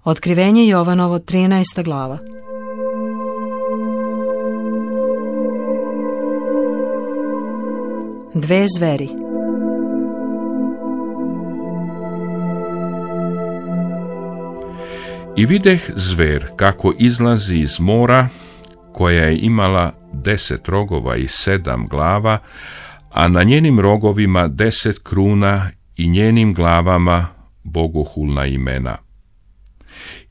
Otkrivenje Jovanovo, 13. glava. Dve zveri. I videh zver kako izlazi iz mora, koja je imala 10 rogova i 7 glava, a na njenim rogovima 10 kruna i njenim glavama bogohulna imena.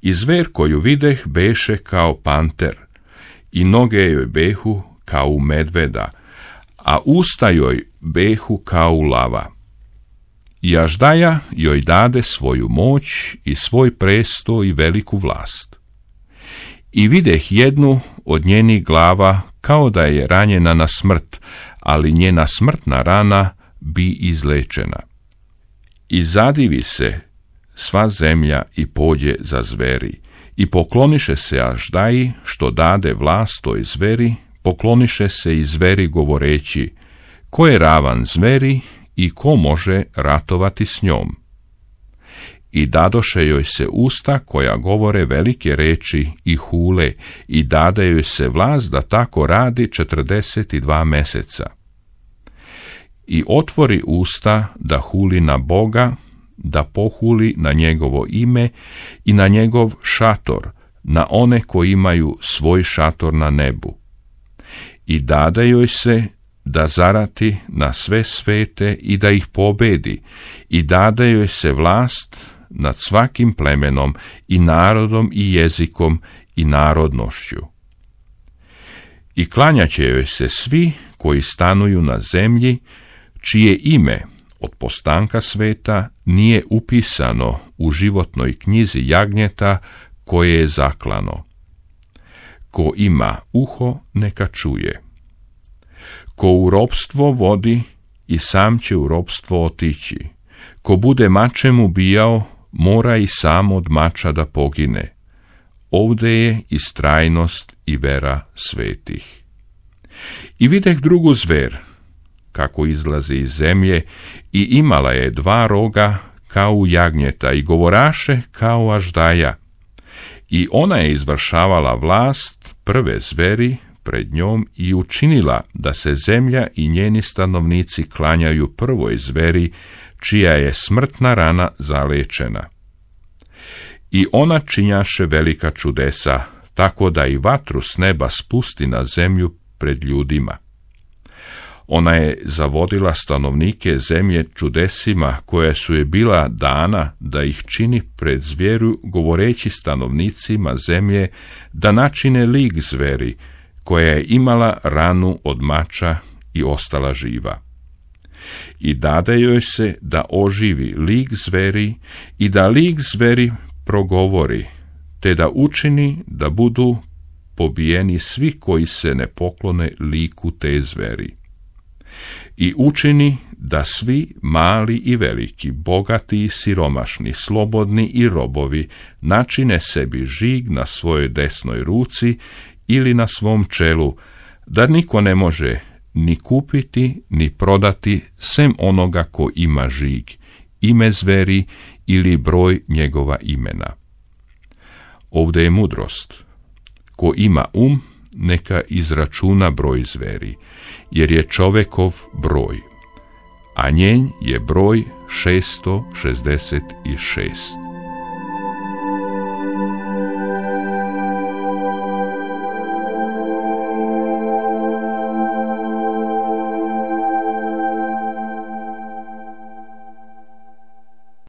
I zver koju videh beše kao panter, i noge joj behu kao u medveda, a usta joj behu kao u lava. I aždaja joj dade svoju moć i svoj presto i veliku vlast. I videh jednu od njenih glava kao da je ranjena na smrt, ali njena smrtna rana bi izlečena. I zadivi se sva zemlja i pođe za zveri, i pokloniše se aždaji što dade vlast toj zveri, pokloniše se i zveri govoreći, ko je ravan zveri i ko može ratovati s njom. I dadoše joj se usta koja govore velike reči i hule, i dade joj se vlast da tako radi 42 meseca. I otvori usta da huli na Boga, da pohuli na njegovo ime i na njegov šator, na one koji imaju svoj šator na nebu. I dade joj se da zarati na sve svete i da ih pobedi, i dade joj se vlast nad svakim plemenom i narodom i jezikom i narodnošću. I klanjaće joj se svi koji stanuju na zemlji, čije ime od postanka sveta nije upisano u životnoj knjizi jagnjeta koje je zaklano. Ko ima uho, neka čuje. Ko u ropstvo vodi, i sam će u ropstvo otići. Ko bude mačem ubijao, mora i sam od mača da pogine. Ovde je istrajnost i vera svetih. I videh drugu zver, kako izlazi iz zemlje, i imala je 2 roga kao u jagnjeta i govoraše kao aždaja. I ona je izvršavala vlast prve zveri pred njom i učinila da se zemlja i njeni stanovnici klanjaju prvoj zveri, čija je smrtna rana zalečena. I ona činjaše velika čudesa, tako da i vatru s neba spusti na zemlju pred ljudima. Ona je zavodila stanovnike zemlje čudesima koja su je bila dana da ih čini pred zveru, govoreći stanovnicima zemlje da načine lik zveri, koja je imala ranu od mača i ostala živa. I dade joj se da oživi lik zveri i da lik zveri progovori, te da učini da budu pobijeni svi koji se ne poklone liku te zveri. I učini da svi, mali i veliki, bogati i siromašni, slobodni i robovi, načine sebi žig na svojoj desnoj ruci ili na svom čelu, da niko ne može ni kupiti, ni prodati, sem onoga ko ima žig, ime zveri ili broj njegova imena. Ovdje je mudrost. Ko ima neka izračuna broj zveri, jer je čovekov broj, a njen je broj 666.